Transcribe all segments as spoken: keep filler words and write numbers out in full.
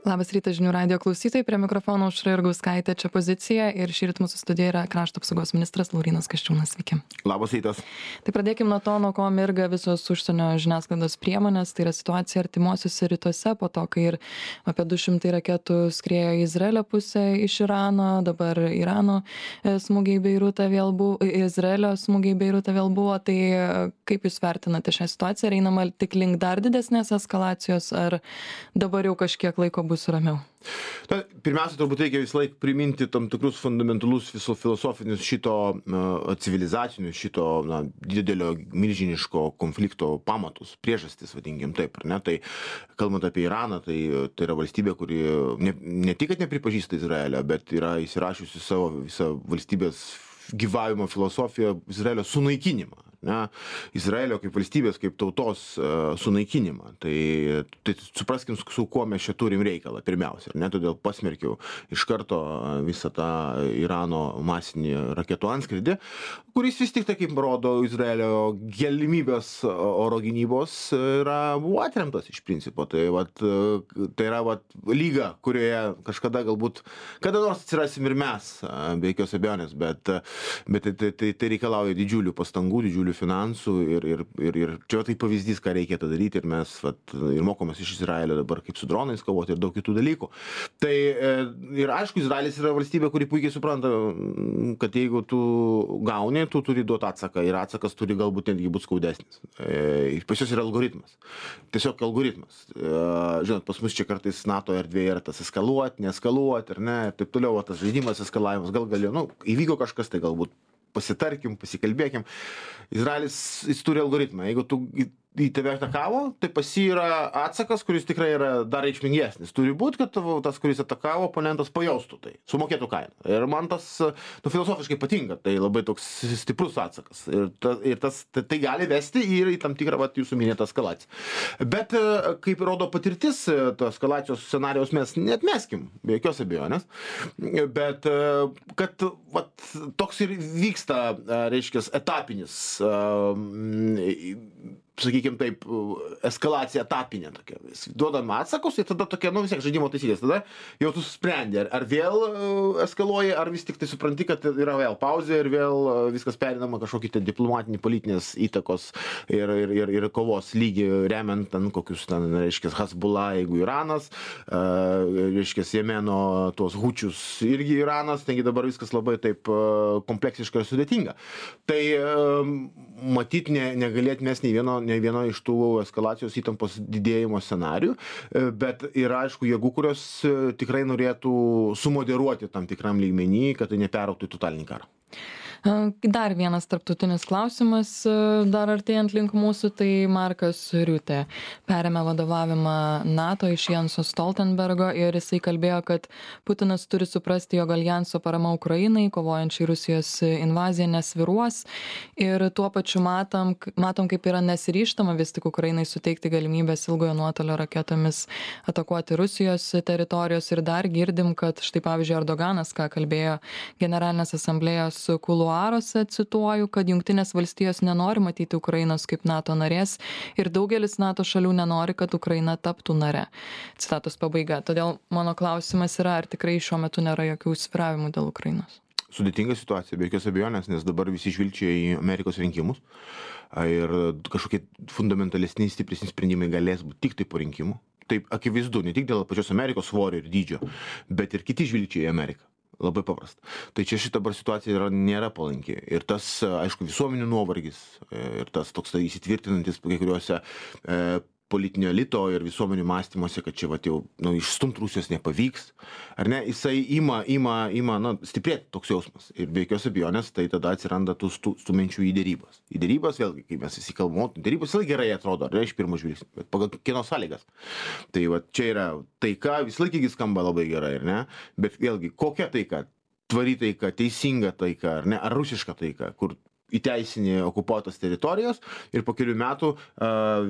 Labas rytas žinių radijo klausytojai, prie mikrofono Aušra Jurgauskaitė, čia Pozicija ir šįryt mūsų studijoje yra krašto apsaugos ministras Laurynas Kasčiūnas. Sveiki. Labas rytas. Tai pradėkim nuo to, nuo ko mirga visos užsienio žiniasklaidos priemonės, tai yra situacija artimuosiuose rytuose, po to, kai ir apie du šimtai raketų skriejo į Izraelio pusę iš Irano, dabar Irano smūgiai į Beirutą vėl buvo, Izraelio smūgiai į Beirutą vėl buvo, tai kaip jūs vertinate šią situaciją, ar einama tik link dar didesnės eskalacijos, ar dabar jau kažkiek laiko bus ramiau? Na, pirmiausia, turbūt reikia visą laiką priminti tam tikrus fundamentalus viso filosofinius šito uh, civilizacinius, šito na, didelio milžiniško konflikto pamatus, priežastis, vadinkim taip, ar ne? Tai kalbant apie Iraną, tai, tai yra valstybė, kuri ne, ne tik, kad nepripažįsta Izraelio, bet yra įsirašiusi savo visą valstybės gyvavimo filosofiją Izraelio sunaikinimą. Ne, Izraelio kaip valstybės, kaip tautos uh, sunaikinimą. Tai, tai supraskim, su, su kuo mes čia turim reikalą, pirmiausia. Ne, todėl pasmerkiau iš karto visą tą Irano masinį raketų antskridį, kuris vis tik tai, kaip rodo Izraelio galimybės oro gynybos, yra, buvo atremtas iš principo. Tai, vat, tai yra vat, lyga, kurioje kažkada galbūt, kada nors atsirasim ir mes, be jokios abejonės, bet, bet tai, tai, tai, tai reikalauja didžiulių pastangų, didžiulių finansų ir, ir, ir, ir čia tai pavyzdys, ką reikėtų daryti ir mes vat, ir mokomės iš Izraelio dabar kaip su dronais kovoti ir daug kitų dalykų. Tai ir aišku, Izraelis yra valstybė, kuri puikiai supranta, kad jeigu tu gauni, tu turi duoti atsaką ir atsakas turi galbūt netgi būti skaudesnis. E, pas jos yra algoritmas. Tiesiog algoritmas. E, žinot, pas mus čia kartais NATO erdvėje yra tas eskaluoti, neeskaluoti ir ne, ir taip toliau, o tas žaidimas eskalavimas gal galėjo, nu, įvyko kažkas, tai galbūt pasitarkim, pasikalbėkim. Izraelis, jis turi algoritmą. Jeigu tu į tave atakavo, tai pas jį yra atsakas, kuris tikrai yra dar reikšmingesnis. Turi būti, kad tavo, tas, kuris atakavo, oponentas pajaustų tai, sumokėtų kainą. Ir man tas, nu, filosofiškai patinka, tai labai toks stiprus atsakas. Ir, ta, ir tas, tai, tai gali vesti ir į tam tikrą, vat, jūsų minėtą eskalaciją. Bet, kaip rodo patirtis, to eskalacijos scenarijos mes neatmeskim, be jokios abejonės. Bet, kad, vat, toks ir vyksta, reiškia, etapinis, sakykime taip, eskalacija etapinė tokia. Duodam atsakus ir tada tokia, nu vis tiek žaidimo taisyklės. Tada jau tu susprendi, ar, ar vėl eskaluoji, ar vis tik tai supranti, kad yra vėl pauzė ir vėl viskas perinama kažkokį tai diplomatinį, politinės įtakos ir, ir, ir, ir kovos lygį remiant ten kokius, ten, reiškia, Hezbollah, jeigu Iranas, uh, reiškia, Jemeno tuos hučius irgi Iranas, taigi dabar viskas labai taip uh, kompleksiška ir sudėtinga. Tai uh, matyt, ne, negalėt mes nei vieno ne vieno iš tų eskalacijos įtampos didėjimo scenarių, bet yra, aišku, jėgų, kurios tikrai norėtų sumoderuoti tam tikram lygmenį, kad tai neperaugtų į totalinį karą. Dar vienas tarptautinis klausimas, dar artėjant link mūsų, tai Markas Riutė perėmė vadovavimą NATO iš Jenso Stoltenbergo ir jisai kalbėjo, kad Putinas turi suprasti, jog aljanso parama Ukrainai, kovojančiai Rusijos invaziją, nesviruos ir tuo pačiu matom, matom kaip yra nesiryžtama vis tik Ukrainai suteikti galimybės ilgojo nuotolio raketomis atakuoti Rusijos teritorijos ir dar girdim, kad štai pavyzdžiui Erdoganas, ką kalbėjo Generalinės asamblėjos kuluaruose, cituoju, kad Jungtinės valstijos nenori matyti Ukrainos kaip NATO narės ir daugelis NATO šalių nenori, kad Ukraina taptų nare. Citatos pabaiga. Todėl mano klausimas yra, ar tikrai šiuo metu nėra jokių svyravimų dėl Ukrainos? Sudėtinga situacija, be jokios abejonės, nes dabar visi žvilgčia į Amerikos rinkimus ir kažkokie fundamentalesni, stipresni sprendimai galės būti tik tai po rinkimų. Taip akivaizdu, ne tik dėl pačios Amerikos svorio ir dydžio, bet ir kiti žvilgčia į Ameriką. Labai paprasta. Tai čia šita dabar situacija yra, nėra palanki. Ir tas, aišku, visuomenių nuovargis ir tas toks tai įsitvirtinantis kai kuriuose e, politinio elito ir visuomenių mąstymuose, kad čia vat, jau nu, išstumt Rusijos nepavyks. Ar ne? Jisai ima, ima, ima na, stiprėti toks jausmas. Ir be jokios abejonės, tai tada atsiranda tų stumenčių į dėrybas. Į dėrybas, vėlgi, kai mes visi kalbam, dėrybos visai gerai atrodo, ar ne, iš pirmo žvilgsnio, bet pagal kieno sąlygas. Tai va, čia yra taika, vis laikigi skamba labai gerai, ar ne? Bet vėlgi, kokia taika? Tvari taika, teisinga taika, ar ne? Ar rusiška taika, kur įteisinį okupuotas teritorijas ir po kelių metų uh,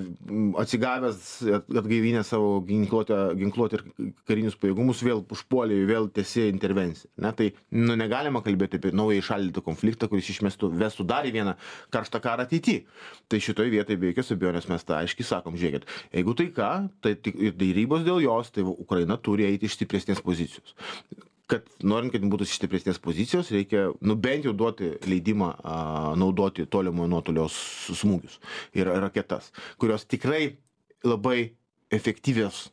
atsigavęs, atgaivinę savo ginkluotę, ginkluotę ir karinius pajėgumus vėl užpuolė, vėl tęsė intervenciją. Ne? Tai nu, negalima kalbėti apie naują įšaldytą konfliktą, kuris išmestų, vestų dar į vieną karštą karą ateityje. Tai šitoje vietoje be jokios abejonės mes tą aiškiai sakom, žiūrėkit, jeigu tai ką, tai ir dėrybos dėl jos, tai Ukraina turi eiti iš stipresnės pozicijos. Kad norint, kad būtų stipresnės pozicijos, reikia, nu, bent jau duoti leidimą a, naudoti tolimojo nuotolio smūgius ir raketas, kurios tikrai labai efektyvios.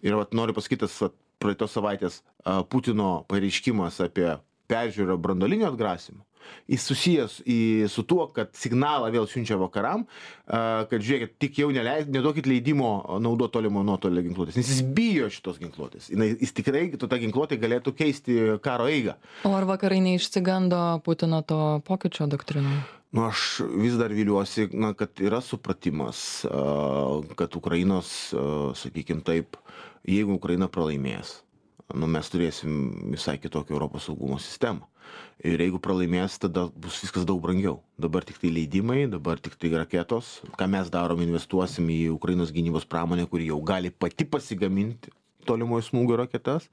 Ir vat, noriu pasakyti, vat, praeitos savaitės a, Putino pareiškimas apie peržiūrą branduolinio atgrasimo. Jis susijęs į, su tuo, kad signalą vėl siunčia vakaram, kad žiūrėkit, tik jau neleid, neduokit leidimo naudoti tolimo nuotolio ginkluotės, nes jis bijo šitos ginkluotės. Jis tikrai, ta ginkluotė galėtų keisti karo eigą. O ar vakarai neišsigando Putino to pokyčio doktrinoje? Nu, aš vis dar viliuosi, na, kad yra supratimas, kad Ukrainos, sakykime taip, jeigu Ukraina pralaimės, nu, mes turėsim visai kitokią Europos saugumo sistemą. Ir jeigu pralaimės, tada bus viskas daug brangiau. Dabar tik tai leidimai, dabar tik tai raketos. Ką mes darom, investuosim į Ukrainos gynybos pramonę, kuri jau gali pati pasigaminti tolimojo smūgio raketas.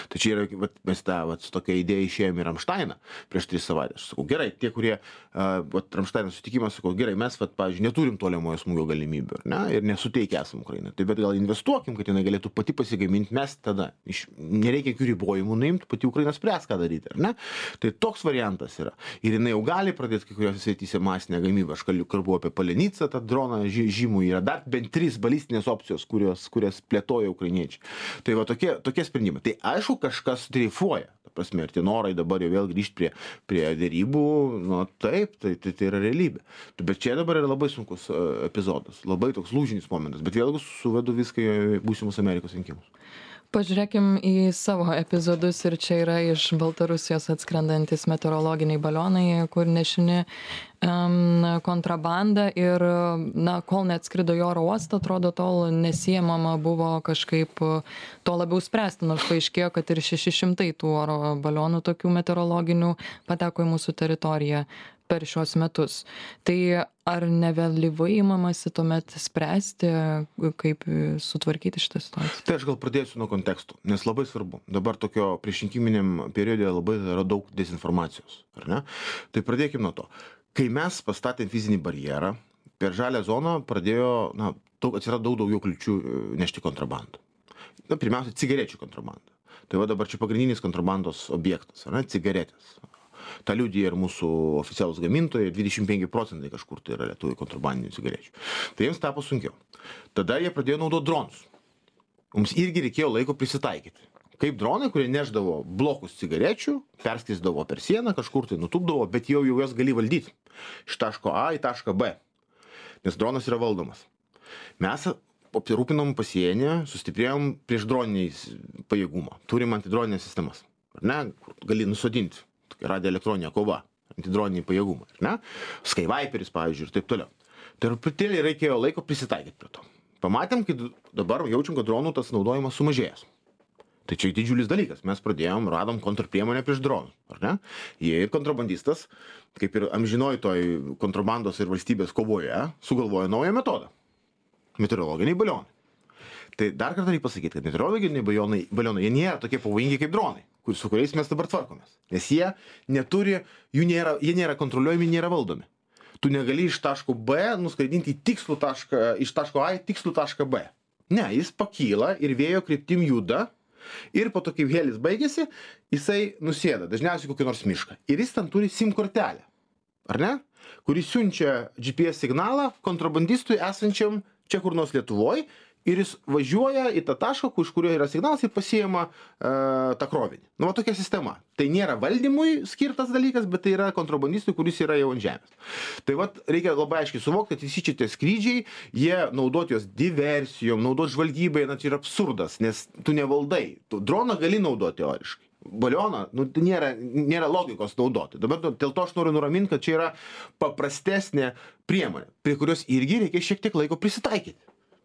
Tai čia yra, vat, mes tą, vat, su tokia idėja išėjome į Ramšteiną prieš tris savaitės. Aš sakau, gerai, tie, kurie, uh, vat, Ramšteino sutikimas, sakau, gerai, mes, vat, pavyzdžiui, neturim tolimojo smūgio galimybių, ne, ir nesuteikia esam Ukrainai. Tai bet gal investuokim, kad jinai galėtų pati pasigaminti, mes tada, iš, nereikia jokių ribojimų nuimti, pati Ukraina spręs, ką daryti, ar ne? Tai toks variantas yra. Ir jinai jau gali pradėti kai kuriuose srityse masinę gamybą. Aš kalbu apie Palenicą, tą droną žymų, yra dar bent trys balistinės opcijos, kurios, kurias plėtoja ukrainiečiai. Tai va tokie, tokie sprendimai. Tai aišku, kažkas dreifuoja. Ta prasme, ir tie norai dabar jau vėl grįžti prie, prie dėrybų, nu taip, tai, tai, tai yra realybė. Bet čia dabar yra labai sunkus uh, epizodas, labai toks lūžinis momentas, bet vėlgi suvedu viską į būsimus Amerikos rinkimus. Pažiūrėkim į savo epizodus ir čia yra iš Baltarusijos atskrendantis meteorologiniai balionai, kur nešini um, kontrabanda ir, na, kol neatskrido į oro uostą, atrodo, tol nesiemama buvo kažkaip to labiau spręsti, nors paaiškėjo, kad ir šeši šimtai tų oro balionų tokių meteorologinių pateko į mūsų teritoriją per šios metus. Tai ar nevėlyvai imamasi tuomet spręsti, kaip sutvarkyti šitą situaciją? Tai aš gal pradėsiu nuo kontekstų, nes labai svarbu. Dabar tokio priešrinkiminiam periode labai yra daug dezinformacijos, ar ne? Tai pradėkime nuo to. Kai mes pastatėm fizinį barjerą, per žalią zoną pradėjo, na, daug, atsirado daug daugiau kliūčių nešti kontrabandą. Na, pirmiausia, cigarečių kontrabanda. Tai va dabar čia pagrindinis kontrabandos objektas, ar ne? Cigaretės. Ta liudija ir mūsų oficialūs gamintojai, dvidešimt penki procentai kažkur tai yra lietuvių kontrabandinių cigarečių. Tai jiems tapo sunkiau. Tada jie pradėjo naudoti dronus. Mums irgi reikėjo laiko prisitaikyti. Kaip dronai, kurie neždavo blokus cigarečių, perskrisdavo per sieną, kažkur tai nutupdavo, bet jau jau jas gali valdyti. Iš taško A į tašką B. Nes dronas yra valdomas. Mes apsirūpinom pasienį, sustiprėjom prieš droniniais pajėgumą. Turim antidroninės sistemas. Ar ne? Gali nusodinti. Radioelektroninė kova, antidroniniai pajėgumai, ne? Skyviperis, pavyzdžiui, ir taip toliau. Tai truputėlį reikėjo laiko prisitaikyti prie to. Pamatėm, kad dabar jaučiam, kad dronų tas naudojimas sumažėjęs. Tai čia didžiulis dalykas. Mes pradėjom, radom kontrpriemonę prieš dronus, ar ne? Jie ir kontrabandistas, kaip ir amžinoj toj kontrabandos ir valstybės kovoje, sugalvojo naują metodą. Meteorologiniai balionai. Tai dar kartą reikia pasakyti, kad meteorologiniai balionai, balionai jie nėra tokie pavojingi kaip dronai, kur, su kuriais mes dabar tvarkomės. Nes jie neturi, jų nėra, jie nėra kontroliuojami, nėra valdomi. Tu negali iš taško B nuskraidinti į tikslų tašką, iš taško A į tikslų tašką B. Ne, jis pakyla ir vėjo kryptim juda ir po to, kaip helis baigėsi, jisai nusėda, dažniausiai kokį nors mišką. Ir jis ten turi SIM kortelę, ar ne? Kuris siunčia G P S signalą kontrabandistui esančiam čia kur nors Lietuvoj, ir jis važiuoja į tą tašką, iš kurio yra signalas ir pasiima e, tą krovinį. Nu, va tokia sistema. Tai nėra valdymui skirtas dalykas, bet tai yra kontrabandistui, kuris yra jau ant žemės. Tai va, reikia labai aiškiai suvokti, kad visi šitie skrydžiai, jie naudoti jos diversijom, naudoti žvalgybai, na, tai yra absurdas, nes tu nevaldai. Tu droną gali naudoti teoriškai. Balioną, nu, nėra, nėra logikos naudoti. Dabar dėl to aš noriu nuraminti, kad čia yra paprastesnė priemonė, prie kurios irgi reikia šiek tiek laiko prisitaikyti.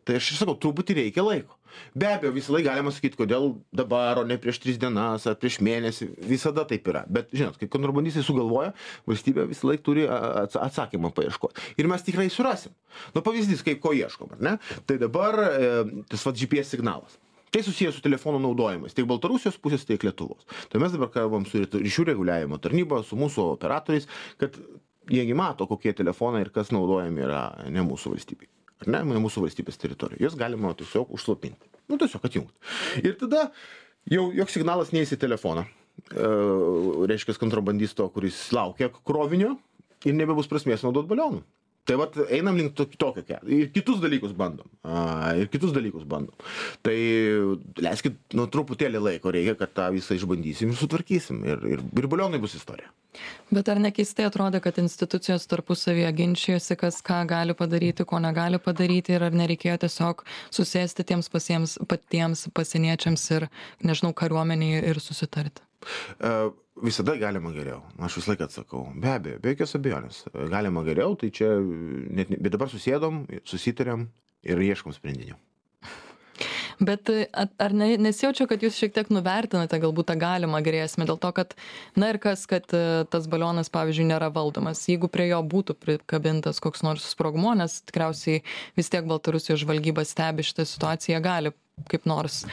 Tai aš sakau, truputį reikia laiko. Be abejo, visą laiką galima sakyti, kodėl dabar, o ne prieš tris dienas ar prieš mėnesį, visada taip yra. Bet, žinot, kai kontrabandistai sugalvoja, valstybė visą laiką turi atsakymą paieškoti. Ir mes tikrai surasim. Nu, pavyzdys, kaip ko ieškom, ar ne? Tai dabar e, tas va G P S signalas. Tai susijęs su telefonų naudojimais, tiek Baltarusijos pusės, tiek Lietuvos. Tai mes dabar kalbam su ryšių reguliavimo tarnyba, su mūsų operatoriais, kad jiegi mato, kokie telefonai ir kas naudojami yra ne mūsų valstybei. Ar ne, ne mūsų valstybės teritorija. Jos galima tiesiog užslopinti. Nu, tiesiog atjungti. Ir tada jau joks signalas neįs į telefoną. E, reiškia kontrabandisto, kuris laukia krovinio ir nebebus prasmės naudoti balionų. Tai vat einam link tokio kelio. Ir kitus dalykus bandom. A, ir kitus dalykus bandom. Tai leiskit, nu, truputėlį laiko reikia, kad tą visą išbandysim ir sutvarkysim. Ir, ir, ir balionai bus istorija. Bet ar nekeistai atrodo, kad institucijos tarpusavyje ginčijosi, kas ką gali padaryti, ko negali padaryti ir ar nereikėjo tiesiog susėsti tiems pasiems, patiems pasieniečiams ir, nežinau, kariuomeniai ir susitarti? Uh, visada galima geriau. Aš visą laiką atsakau. Be abejo, be jokios abejonės. Galima geriau, tai čia, net, bet dabar susėdom, susitarėm ir ieškom sprendinių. Bet ar ne, nesijaučia, kad jūs šiek tiek nuvertinate galbūt tą galimą grėsmę dėl to, kad, na ir kas, kad tas balionas, pavyzdžiui, nėra valdomas. Jeigu prie jo būtų prikabintas koks nors sprogmuo, nes tikriausiai vis tiek Baltarusijos žvalgyba stebi šitą situaciją, gali kaip nors,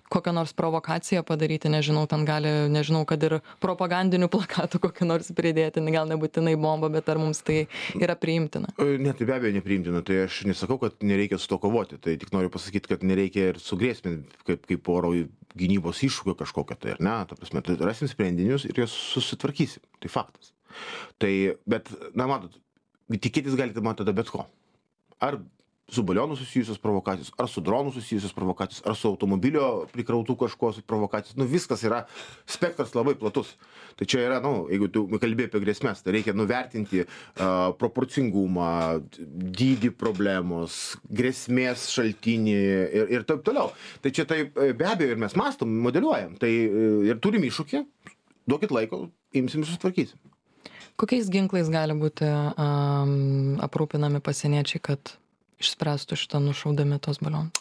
kokią nors provokaciją padaryti, nežinau, ten gali, nežinau, kad ir propagandinių plakatų kokią nors pridėti, gal nebūtinai bombą, bet ar mums tai yra priimtina? Ne, tai be abejo nepriimtina, tai aš nesakau, kad nereikia su to kovoti, tai tik noriu pasakyti, kad nereikia ir sugrėsminti kaip, kaip oro gynybos iššūkio kažkokio, tai ar ne, ta prasme, tai rasim sprendinius ir juos susitvarkysim, tai faktas. Tai, bet, na, matot, tikėtis galite man tada bet ko. Ar su balionu susijusios provokacijos, ar su dronu susijusios provokacijos, ar su automobilio prikrautų kažko provokacijos. Nu, viskas yra, spektras labai platus. Tai čia yra, nu, jeigu tu kalbėjai apie grėsmės, tai reikia nuvertinti uh, proporcingumą, dydį problemos, grėsmės šaltinį ir, ir taip toliau. Tai čia tai be abejo ir mes mastom, modeliuojam. Tai ir turim iššūkį, duokit laiko, imsim ir sutvarkysim. Kokiais ginklais gali būti um, aprūpinami pasieniečiai, kad išspręstų šitą nušaudami tos balionus?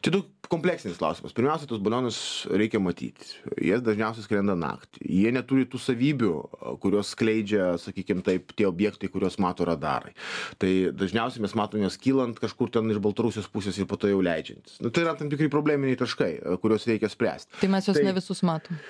Čia daug kompleksinis klausimas. Pirmiausia, tos balionus reikia matyti. Jie dažniausiai skrenda naktį. Jie neturi tų savybių, kurios skleidžia, sakykime taip, tie objektai, kuriuos mato radarai. Tai dažniausiai mes matome jas kylant kažkur ten iš Baltarusijos pusės ir po to jau leidžiantis. Nu, tai yra tam tikrai probleminiai taškai, kuriuos reikia spręsti. Tai mes juos tai... ne visus matom.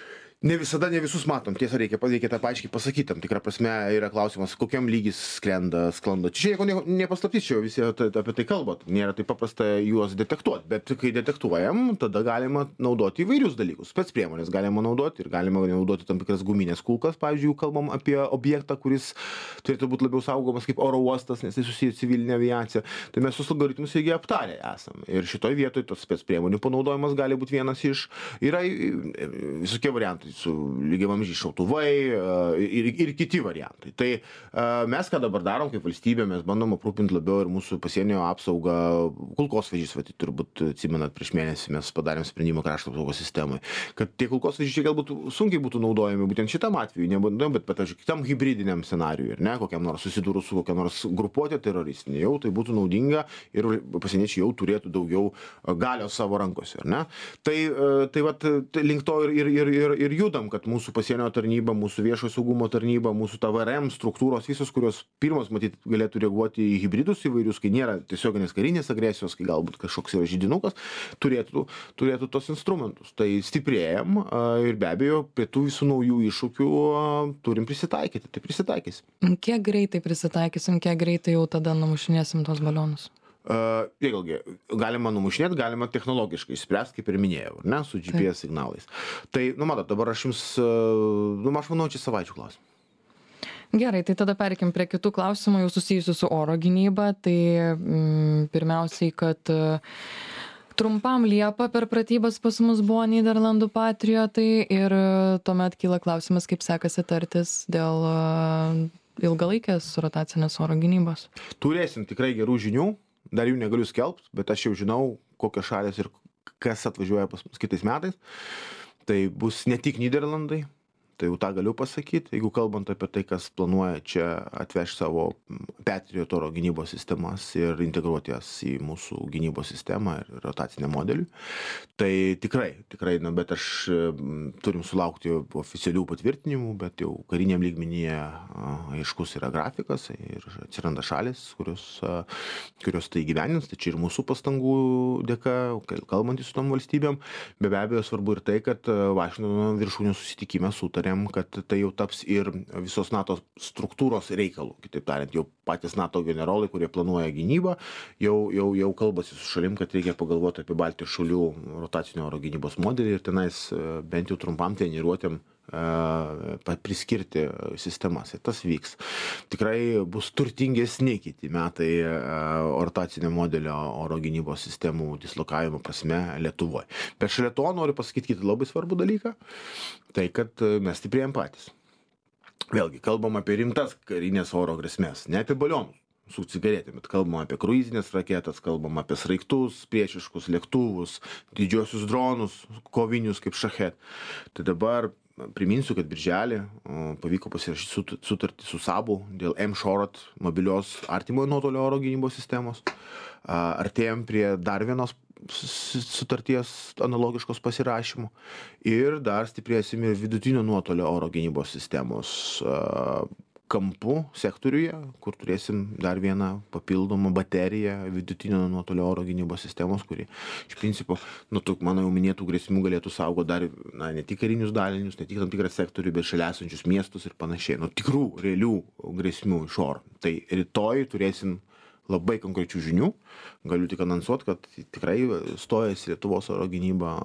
Ne visada, ne visus matom. Tiesa, reikia, reikia tą paaiškiai pasakyti. Tam tikrą prasme yra klausimas, kokiam lygis skrenda, sklando. Čia nieko nepaslaptys, čia visi apie tai kalbat. Nėra taip paprasta juos detektuoti. Bet kai detektuojam, tada galima naudoti įvairius dalykus. Spec priemonės galima naudoti ir galima naudoti tam tikras guminės kulkas. Pavyzdžiui, kalbam apie objektą, kuris turėtų būti labiau saugomas kaip oro uostas, nes tai susiję civilinė aviacija. Tai mes sus algoritmus irgi aptarę esam. Ir šitoj vietoj tos spec priemonių panaudojimas gali būti vienas iš. Yra visokie variantai. Su lygiavamzdžiai šautuvai ir, ir kiti variantai. Tai mes ką dabar darom kaip valstybė, mes bandom aprūpinti labiau ir mūsų pasienio apsaugą, kulkosvaidžiais, va, tai turbūt atsimenat, prieš mėnesį mes padarėm sprendimą krašto apsaugos sistemai, kad tie kulkosvaidžiai galbūt sunkiai būtų naudojami būtent šitam atveju, nebūtų, bet pavyzdžiui, kitam hibridiniam scenarijui, ir ne, kokiam nors susidūrus su kokia nors grupuotė teroristinė, jau tai būtų naudinga ir pasieniečiai jau turėtų daugiau galios savo rankose, ar ne? Tai, tai vat, link to ir, ir, ir, ir judam, kad mūsų pasienio tarnyba, mūsų viešojo saugumo tarnyba, mūsų T V R M struktūros, visos, kurios pirmos, matyt, galėtų reaguoti į hibridus įvairius, kai nėra tiesioginės karinės agresijos, kai galbūt kažkoks yra židinukas, turėtų, turėtų tos instrumentus. Tai stiprėjam ir be abejo, prie tų visų naujų iššūkių turim prisitaikyti. Tai prisitaikysim. Kiek greitai prisitaikysim, kiek greitai jau tada numušinėsim tos balionus? Uh, vėlgi, galima numušinėti, galima technologiškai spręsti, kaip ir minėjau, ne, su G P S signalais. Tai, nu, matot, dabar aš jums, uh, nu, aš manau, čia savaičių klausimą. Gerai, tai tada perkim prie kitų klausimų, jau susijusių su oro gynyba. Tai mm, pirmiausiai, kad uh, trumpam Liepą per pratybas pas mus buvo Nyderlandų patriotai ir uh, tuomet kyla klausimas, kaip sekasi tartis dėl uh, ilgalaikės rotacinės oro gynybos. Turėsim tikrai gerų žinių. Dar jų negaliu skelbti, bet aš jau žinau, kokios šalės ir kas atvažiuoja pas mus kitais metais. Tai bus ne tik Nyderlandai, tai jau tą galiu pasakyti. Jeigu kalbant apie tai, kas planuoja čia atvežti savo Patriot oro gynybos sistemas ir integruoti jas į mūsų gynybos sistemą ir rotacinę modelį, tai tikrai, tikrai, na, bet aš turim sulaukti oficialių patvirtinimų, bet jau kariniam lygmenyje aiškus yra grafikas ir atsiranda šalis, kurios, kurios tai gyvenins, tai čia ir mūsų pastangų dėka, kalbantys su tom valstybėm, be abejo svarbu ir tai, kad Vašingtono viršūnių susitikime sutarėm, kad tai jau taps ir visos NATO struktūros reikalų. Kitaip tariant, jau patys NATO generolai, kurie planuoja gynybą, jau, jau, jau kalbasi su šalim, kad reikia pagalvoti apie Baltijos šalių rotacinio oro gynybos modelį ir tenais bent jau trumpam treniruotėm priskirti sistemas. Ir tas vyks. Tikrai bus turtingesni kiti metai rotacinio modelio oro gynybos sistemų dislokavimo prasme Lietuvoje. Bet šalia to noriu pasakyti kitą labai svarbų dalyką, tai kad mes stiprėjom patys. Vėlgi, kalbam apie rimtas karinės oro grėsmės, ne apie balionus su cigaretėm, bet kalbam apie kruizinės raketas, kalbam apie sraigtus, priešiškus lėktuvus, didžiosius dronus, kovinius kaip Šachet. Tai dabar priminsiu, kad birželį pavyko pasirašyti sutartį su Sabu dėl M-Shorot mobilios artimojo nuotolio oro gynybos sistemos. Artėjom prie dar vienos sutarties analogiškos pasirašymų ir dar stiprėsim ir vidutinio nuotolio oro gynybos sistemos kampų sektoriuje, kur turėsim dar vieną papildomą bateriją vidutinio nuotolio oro gynybos sistemos, kuri iš principo, nu, tų mano jau minėtų grėsmių galėtų saugoti dar, na, ne tik karinius dalinius, ne tik tam tikrą sektorių, bet šalia esančius miestus ir panašiai. Nu, tikrų, realių grėsmių iš oro. Tai rytoj turėsim labai konkrečių žinių. Galiu tik anonsuoti, kad tikrai stojasi Lietuvos oro gynyba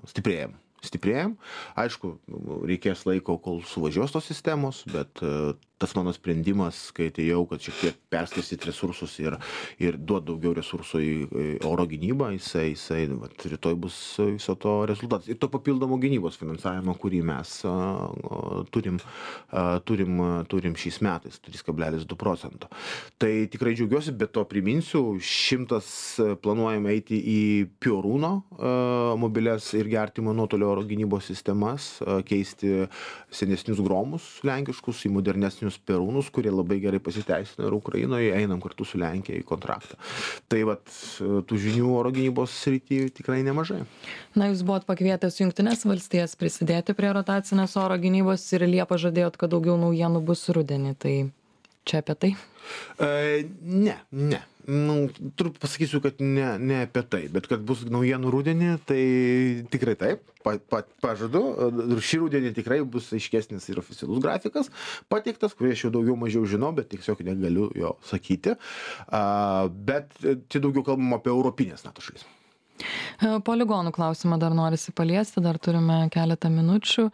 stiprėjam. Stiprėjam. Aišku, reikės laiko, kol suvažiuos tos sistemos, bet tas mano sprendimas, kai atėjau, kad šiek tiek perskirstyti resursus ir, ir duoti daugiau resursų į oro gynybą, jisai, jisai vat, rytoj bus viso to rezultatas. Ir to papildomo gynybos finansavimo, kurį mes a, a, turim, a, turim, turim šiais metais, trys kablelis du procento. Tai tikrai džiaugiuosi, bet to priminsiu, šimtas planuojame eiti į Piorūno mobilias ir artimo nuotolio oro gynybos sistemas, a, keisti senesnius gromus lenkiškus į modernesnius Perūnus, kurie labai gerai pasiteisino ir Ukrainoje, einam kartu su Lenkija į kontraktą. Tai vat, tų žinių oro gynybos srityje tikrai nemažai. Na, jūs buvot pakvietęs Jungtines valstijas prisidėti prie rotacinės oro gynybos ir Liepą žadėjot, kad daugiau naujienų bus rudenį. Tai čia apie tai? E, ne, ne. Nu, turbūt pasakysiu, kad ne, ne apie tai, bet kad bus naujienų rudenį, tai tikrai taip, pa, pa, pažadu. Šį rudenį tikrai bus aiškesnis ir oficialus grafikas pateiktas, kurį aš jau daugiau mažiau žinau, bet tiesiog negaliu jo sakyti. A, bet čia daugiau kalbam apie europinės NATO šalis. Poligonų klausimą dar norisi paliesti, dar turime keletą minučių.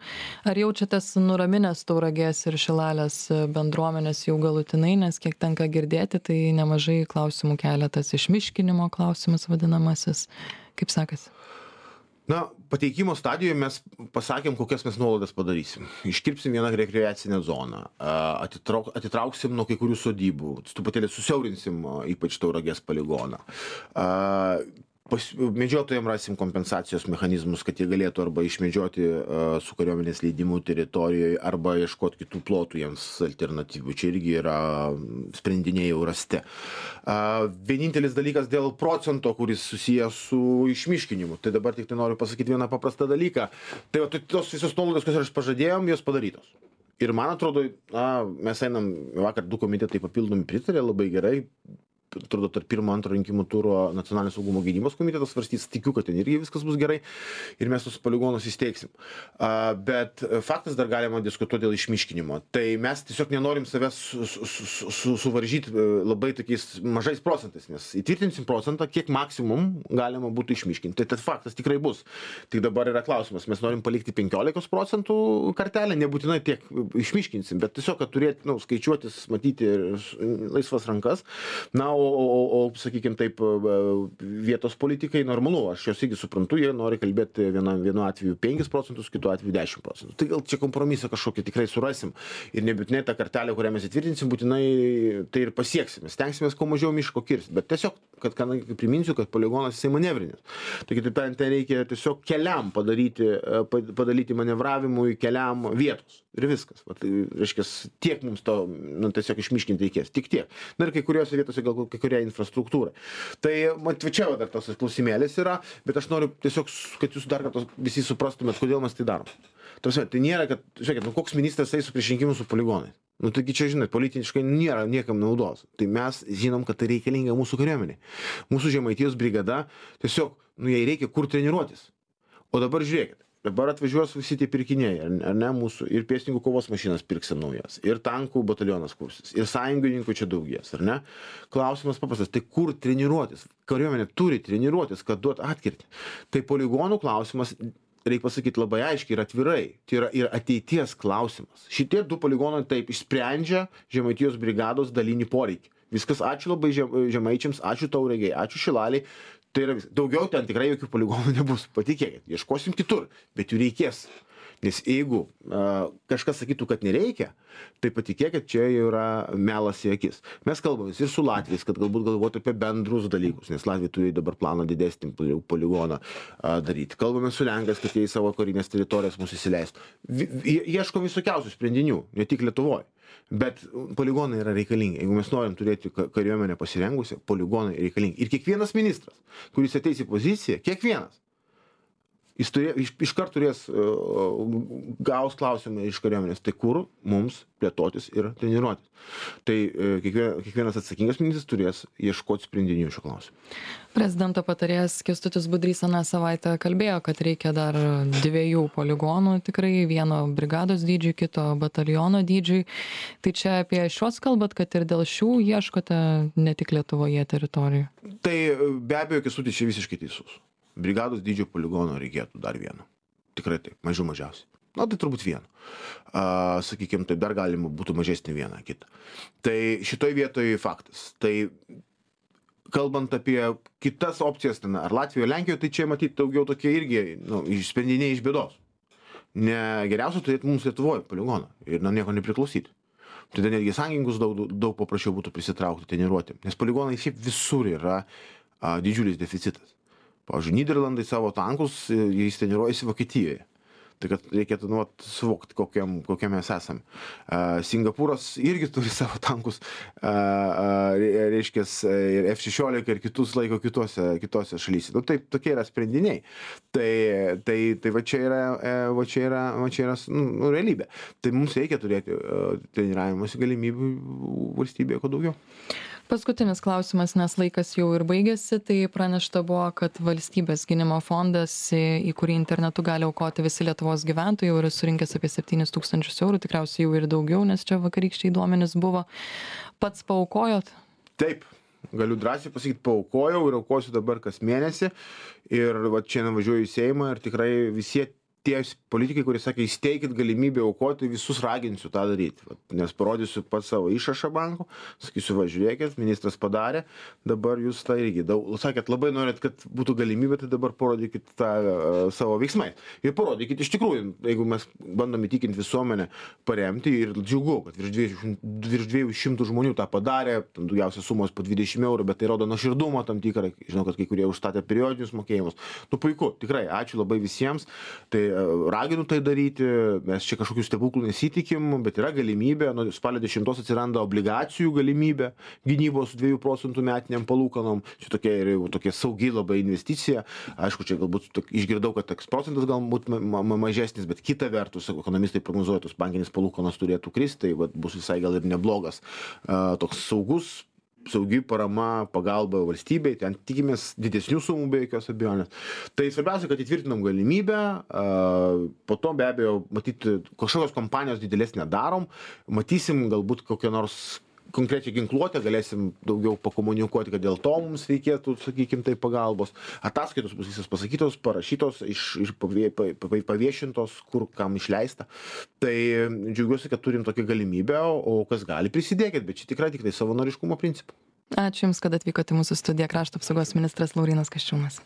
Ar jaučiatės nuraminęs Tauragės ir Šilalės bendruomenės jau galutinai, nes kiek tenka girdėti, tai nemažai klausimų keletas išmiškinimo klausimas vadinamasis. Kaip sekasi? Na, pateikimo stadijoje mes pasakėm, kokias mes nuolaidas padarysim. Iškirpsim vieną rekreacinę zoną, atitrauk, atitrauksim nuo kai kurių sodybų, truputėlį susiaurinsim ypač Tauragės poligoną. Pas, medžiotojams rasim kompensacijos mechanizmus, kad jie galėtų arba išmedžioti uh, su kariuomenės leidimu teritorijoje, arba ieškoti kitų plotų jiems alternatyvų. Čia irgi yra sprendiniai jau rasti. Uh, vienintelis dalykas dėl procento, kuris susijęs su išmiškinimu. Tai dabar tik tai noriu pasakyti vieną paprastą dalyką. Tai va, tos visos nuolaidos, kurias aš pažadėjom, jos padarytos. Ir man atrodo, na, mes einam, vakar du komitetai papildomi pritarė, labai gerai. Atrodo, tarp pirmo, antro rinkimų turo nacionalinio saugumo gynybos komitetas svarstys, tikiu, kad ten irgi viskas bus gerai ir mes tos poligonus įsteigsim. Uh, bet faktas dar galima diskutuoti dėl išmiškinimo. Tai mes tiesiog nenorim savęs su, su, su, su, suvaržyti labai tokiais mažais procentais, nes įtvirtinsim procentą, kiek maksimum galima būtų išmiškinti. Tai tas faktas tikrai bus. Tik dabar yra klausimas, mes norim palikti penkiolikos procentų kartelę, nebūtinai tiek išmiškinsim, bet tiesiog, kad turėti, nu, skaičiuotis, matyti laisvas rankas. Na, o, o, o sakykime taip, vietos politikai normalu, aš jos irgi suprantu, jie nori kalbėti viena, vienu atveju penkis procentus, kitu atveju dešimt procentų. Tai gal čia kompromisą kažkokį tikrai surasim ir nebūtinai tą kartelę, kurią mes įtvirtinsim, būtinai tai ir pasieksim. Stengsimės kuo mažiau miško kirsti, bet tiesiog kad, kad priminsiu, kad poligonas jisai manevrinis. Tai kitaip tariant, ten reikia tiesiog keliam padaryti, padaryti manevravimui keliam vietos. Ir viskas. Va, tai, reiškia, tiek mums to, nu, tiesiog išmiškinti reikės. Tik tiek. Na ir kai kuriuose vietose gal kai kuria infrastruktūra. Tai, mat, čia dar tas klausimėlis yra, bet aš noriu tiesiog, kad jūs dar kartą visi suprastumėt, kodėl mes tai darom. Tarsi, tai nėra, kad, žiūrėkit, nu, koks ministras eis su prieš rinkimus su poligonais. Nu, taigi čia, žinai, politiškai nėra niekam naudos. Tai mes žinom, kad tai reikalinga mūsų kariuomeniai. Mūsų Žemaitijos brigada, tiesiog, nu, jai reikia kur treniruotis. O dabar žiūrėkit. Dabar atvažiuos visi tie pirkiniai, ar ne, mūsų, ir pėstininkų kovos mašinas pirksim naujas, ir tankų batalionas kursis, ir sąjungininkų čia daugės, ar ne? Klausimas paprastas, tai kur treniruotis? Kariuomenė turi treniruotis, kad duot atkirtį. Tai poligonų klausimas, reikia pasakyti labai aiškiai ir atvirai, tai yra ir ateities klausimas. Šitie du poligonai taip išsprendžia Žemaitijos brigados dalinį poreikį. Viskas, ačiū labai žemaičiams, ačiū Tauragei, ačiū Šilaliai. Tai yra vis. Daugiau ten tikrai jokių poligonų nebus, patikėkit, ieškosim kitur, bet jų reikės. Nes jeigu uh, kažkas sakytų, kad nereikia, tai patikėkit, čia jau yra melas į akis. Mes kalbamės ir su Latviais, kad galbūt galvoti apie bendrus dalykus, nes Latvija turi dabar planą didesnį poligoną uh, daryti. Kalbamės su Lenkais, kad jie į savo karinės teritorijas mūsų įsileistų. Ieško visokiausių sprendinių, ne tik Lietuvoje. Bet poligonai yra reikalingi. Jeigu mes norim turėti kariuomenę pasirengusią, poligonai reikalingi. Ir kiekvienas ministras, kuris ateis į poziciją, kiekvienas, jis turė, iš, iš kart turės uh, gaus klausimą iš kariuomenės, tai kur mums plėtotis ir treniruotis. Tai uh, kiekvien, kiekvienas atsakingas ministras turės ieškoti sprendinių šio klausimu. Prezidento patarėjas Kęstutis Budrys aną savaitę kalbėjo, kad reikia dar dviejų poligonų, tikrai vieno brigados dydžiui, kito bataliono dydžiui. Tai čia apie šios kalbat, kad ir dėl šių ieškote ne tik Lietuvoje teritorijų? Tai be abejo, Kęstutis čia visiškai teisus. Brigados dydžio poligono reikėtų dar vieno. Tikrai taip, mažiau mažiausiai. Na, tai turbūt vieno. Uh, sakykime, tai dar galima būtų mažesnį vieną kitą. Tai šitoj vietoj faktas. Tai kalbant apie kitas opcijas, ten, ar Latvijoje, Lenkijoje, tai čia matyti daugiau tokie irgi nu, sprendiniai iš bėdos. Ne geriausia turėti mums Lietuvoje poligoną ir nuo nieko nepriklausyti. Tada netgi sąjungininkus daug, daug paprasčiau būtų prisitraukti, treniruoti. Nes poligonai šiaip visur yra a, didžiulis deficitas. Pavyzdžiui, Nyderlandai savo tankus, jais treniruojasi Vokietijoje. Tai kad reikėtų nu, suvokti, kokiam, kokiam mes esame. Uh, Singapūras irgi turi savo tankus, uh, uh, reiškia, ir F šešiolika ir kitus laiko kitose, kitose šalyse. Nu, taip, tokie yra sprendiniai. Tai, tai, tai va čia yra, va čia yra, va čia yra nu, realybė. Tai mums reikia turėti uh, treniravimosi galimybių valstybėje, kuo daugiau. Paskutinis klausimas, nes laikas jau ir baigėsi, tai pranešta buvo, kad valstybės gynimo fondas, į kurį internetu gali aukoti visi Lietuvos gyventojai, jau yra surinkęs apie septynis tūkstančius eurų, tikriausiai jau ir daugiau, nes čia vakarykščiai duomenys buvo. Pats paaukojot? Taip, galiu drąsiai pasakyti, paaukojau ir aukosiu dabar kas mėnesį. Ir va, čia važiuoju į Seimą ir tikrai visi tie politikai, kurie sakė, įsteikit galimybę aukoti, visus raginsiu tą daryti. Nes parodysiu pats savo išrašą banko, sakysiu, va, žiūrėkit, ministras padarė, dabar jūs tą irgi. Daug, sakėt, labai norėt, kad būtų galimybė, tai dabar parodykit tą uh, savo veiksmai. Ir parodykit iš tikrųjų, jeigu mes bandom įtikinti visuomenę paremti ir džiugu, kad virš dviejų šimtų žmonių tą padarė, tam daugiausia sumos po dvidešimt eurų, bet tai rodo nuoširdumą tam tikrą, žinau, kad kai kurie užstatė periodinius mokėjimus. Nu puiku, tikrai, ačiū labai visiems. Tai raginu tai daryti, mes čia kažkokių stebuklų nesitikim, bet yra galimybė, nuo spalio dešimtos atsiranda obligacijų galimybė gynybos dviejų procentų metiniam palūkanom, čia tokia ir tokia saugi labai investicija, aišku, čia galbūt išgirdau, kad toks procentas galbūt ma ma mažesnis, bet kita vertus, ekonomistai prognozuoja, tos bankinis palūkanos turėtų kristi, tai vat, bus visai gal ir neblogas, uh, toks saugus, saugi parama, pagalba valstybei, ten tikimės didesnių sumų be jokios abejonės. Tai svarbiausia, kad įtvirtinam galimybę, po to be abejo, matyti, kažkokios kompanijos didelės nedarom, matysim galbūt kokią nors konkrečią ginkluotę, galėsim daugiau pakomunikuoti, kad dėl to mums reikėtų, sakykim, tai pagalbos. Ataskaitos bus visas pasakytos, parašytos, iš, iš paviešintos, kur kam išleista. Tai džiaugiuosi, kad turim tokią galimybę, o kas gali prisidėkit, bet čia tikrai tik tai savanoriškumo principu. Ačiū Jums, kad atvykote į mūsų studiją, Krašto apsaugos ministras Laurynas Kasčiūnas.